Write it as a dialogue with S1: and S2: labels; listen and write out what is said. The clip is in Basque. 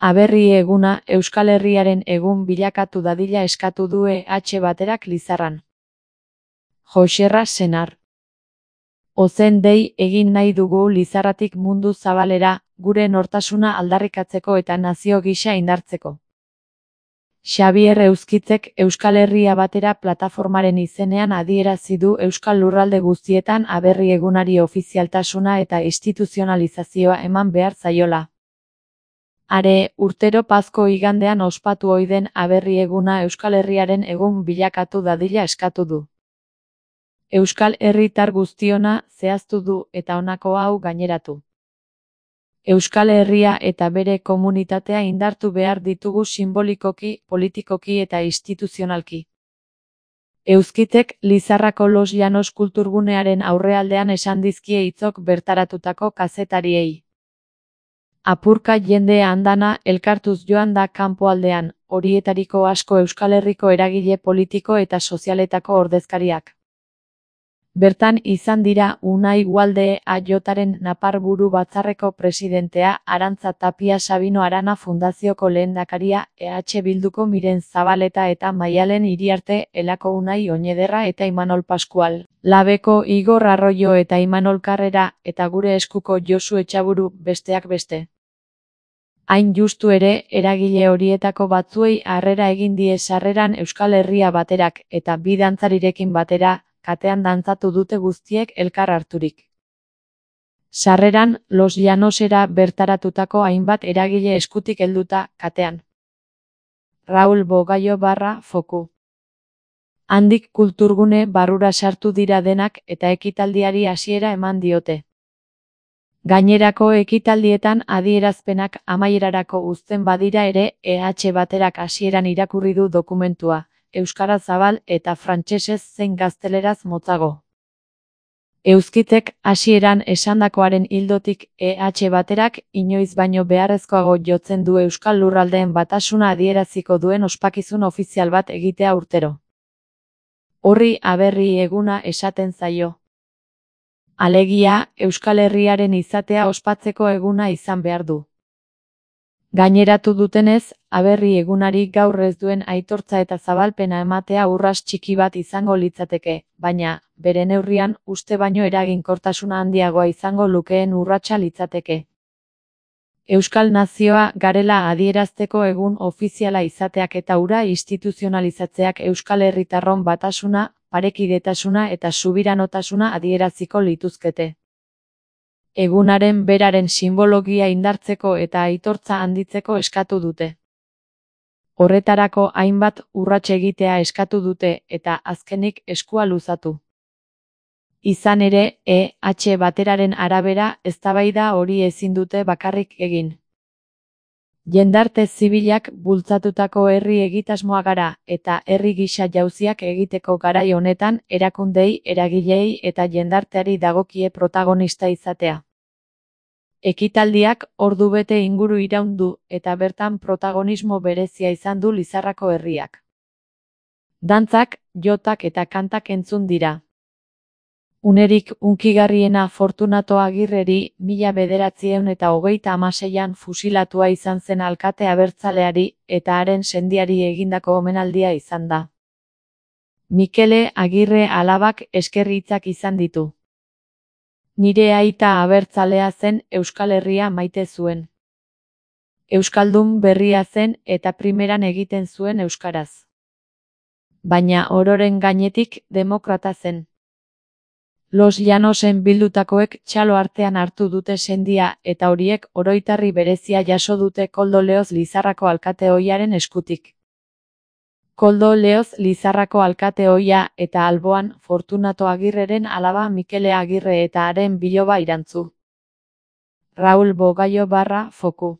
S1: Aberri eguna Euskal Herriaren egun bilakatu dadila eskatu du Baterak Lizarran. Joxerra Senar. Ozen dei egin nahi dugu Lizarratik mundu zabalera, gure nortasuna aldarrikatzeko eta nazio gisa indartzeko. Xabier Euskitzek Euskal Herria Batera plataformaren izenean adierazi du Euskal Lurralde guztietan aberri egunari ofizialtasuna eta instituzionalizazioa eman behar zaiola. Are, urtero Pazko igandean ospatu ohi den aberri eguna Euskal Herriaren egun bilakatu dadila eskatu du. Euskal herritar guztiona zehaztu du eta honako hau gaineratu. Euskal Herria eta bere komunitatea indartu behar ditugu sinbolikoki, politikoki eta instituzionalki. Euskitek Lizarrako Los Llanos kulturgunearen aurrealdean esan dizkie hitzok bertaratutako kazetariei. Apurka jende andana elkartuz joan da kanpoaldean, horietariko asko Euskal Herriko eragile politiko eta sozialetako ordezkariak. Bertan izan dira Unai Ugalde AJaren Naparburu Batzarreko presidentea, Arantza Tapia Sabino Arana Fundazioko lehendakaria, Bilduko Miren Zabaleta eta Maialen Iriarte, Elako Unai Oñederra eta Imanol Pascual, Labeko Igor Arroyo eta Imanol Karrera, eta gure eskuko Josu Etxaburu, besteak beste. Hain justu ere, eragile horietako batzuei harrera egin die sarreran Euskal Herria Baterak, eta bi dantzarirekin batera, katean dantzatu dute guztiek elkar harturik. Sarreran, Los Llanosera bertaratutako hainbat eragile eskutik helduta, katean. Raul Bogaio Foku. Handik kulturgune barrura sartu dira denak eta ekitaldiari hasiera eman diote. Gainerako ekitaldietan adierazpenak amaierarako uzten badira ere, Baterak hasieran irakurri du dokumentua. Euskaraz zabal eta frantsesez zein gazteleraz motzago. Euskitek hasieran esandakoaren ildotik Baterak inoiz baino beharrezkoago jotzen du Euskal Lurraldeen batasuna adieraziko duen ospakizun ofizial bat egitea urtero. Horri aberri eguna esaten zaio. Alegia, Euskal Herriaren izatea ospatzeko eguna izan behar du. Gaineratu dutenez, aberri egunari gaur ez duen aitortza eta zabalpena ematea urras txiki bat izango litzateke, baina, bere neurrian, uste baino eraginkortasuna handiagoa izango lukeen urratsa litzateke. Euskal nazioa garela adierazteko egun ofiziala izateak eta hura instituzionalizatzeak Euskal Herritarron batasuna, parekidetasuna eta subiranotasuna adieraziko lituzkete. Egunaren beraren simbologia indartzeko eta aitortza handitzeko eskatu dute. Horretarako hainbat urrats egitea eskatu dute eta azkenik eskua luzatu. Izan ere, Bateraren arabera eztabaida hori ezin dute bakarrik egin. Jendarte zibilak bultzatutako herri egitasmoa gara eta herri gisa jauziak egiteko garai honetan erakundei, eragileei eta jendarteari dagokie protagonista izatea. Ekitaldiak ordubete inguru iraun du eta bertan protagonismo berezia izan du Lizarrako herriak. Dantzak, jotak eta kantak entzun dira. Unerik hunkigarriena Fortunato Agirreri 1926an fusilatua izan zen alkate abertzaleari eta haren sendiari egindako omenaldia izan da. Mikele Agirre alabak eskerri hitzak izan ditu. Nire aita abertzalea zen Euskal Herria maite zuen. Euskaldun berria zen eta primeran egiten zuen euskaraz. Baina ororen gainetik demokrata zen. Los Llanosen bildutakoek txalo artean hartu dute sendia eta horiek oroitarri berezia jaso dute Koldo Leoz Lizarrako alkate ohiaren eskutik. Koldo Leoz Lizarrako alkate ohia eta alboan Fortunato Agirreren alaba Mikele Agirre eta haren biloba irantzu. Raul Bogaio Foku.